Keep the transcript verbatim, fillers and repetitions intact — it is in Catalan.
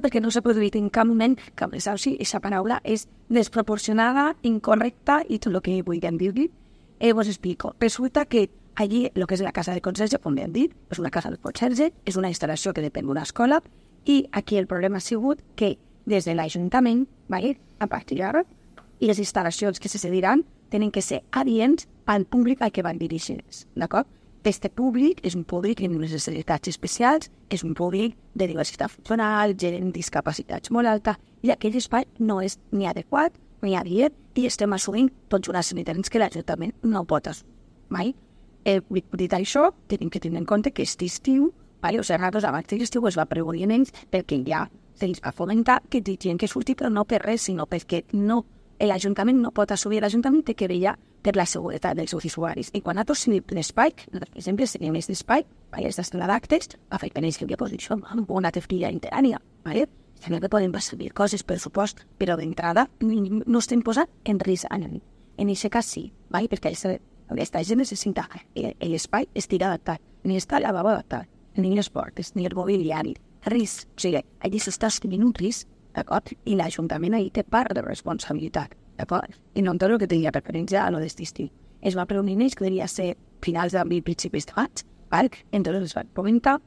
perquè no s'ha produït en cap moment cap desahuci. Aquesta paraula és desproporcionada, incorrecta i tot el que vulguem dir-li. Eh, vos explico. Resulta que allí, el que és la casa de conserge, com hem dit, és una casa de conserge, és una instal·lació que depèn d'una escola, i aquí el problema ha sigut que des de l'Ajuntament, vale, a partir d'ara, i les instal·lacions que se cediran tenen que ser adients al públic al que van dirigir-se, d'acord? Este públic és un públic amb unes necessitats especials, és un públic de diversitat funcional, gent amb discapacitats molt alta, i aquell espai no és ni adequat ni adient, i estem assumint tots unes necessitats que l'Ajuntament no pot assumir mai. Eh, dit això, tenim que tenir en compte que aquest estiu, vale, o sigui, nosaltres abans de l'estiu es va pregunir en ells perquè ja se'ls va fomentar que gent que surti, però no per res, sinó perquè no, l'Ajuntament no pot assumir, l'Ajuntament té que vetllar per la seguretat dels seus usuaris. I quan nosaltres tenim l'espai, nosaltres, per exemple, tenim aquest espai, vale, aquesta sala d'actes, va fer penells que havia posat això amb una tefrilla interània, vale? També que podem servir coses, per supost, però d'entrada no estem posant en risc a ningú. En aquest cas sí, vale? Perquè aquesta gent necessita l'espai estigui adaptat, ni està la lavabo adaptat, ni les portes, ni el mobiliari, risc. O sigui, allí s'està assumint un risc, d'acord? I l'Ajuntament ahir té part de responsabilitat, d'acord? I no entenc el que tenia preferència a lo d'estiu. Es va preunir ells que devia ser finals d'abril, principis de maig, val? Entonces es va comentar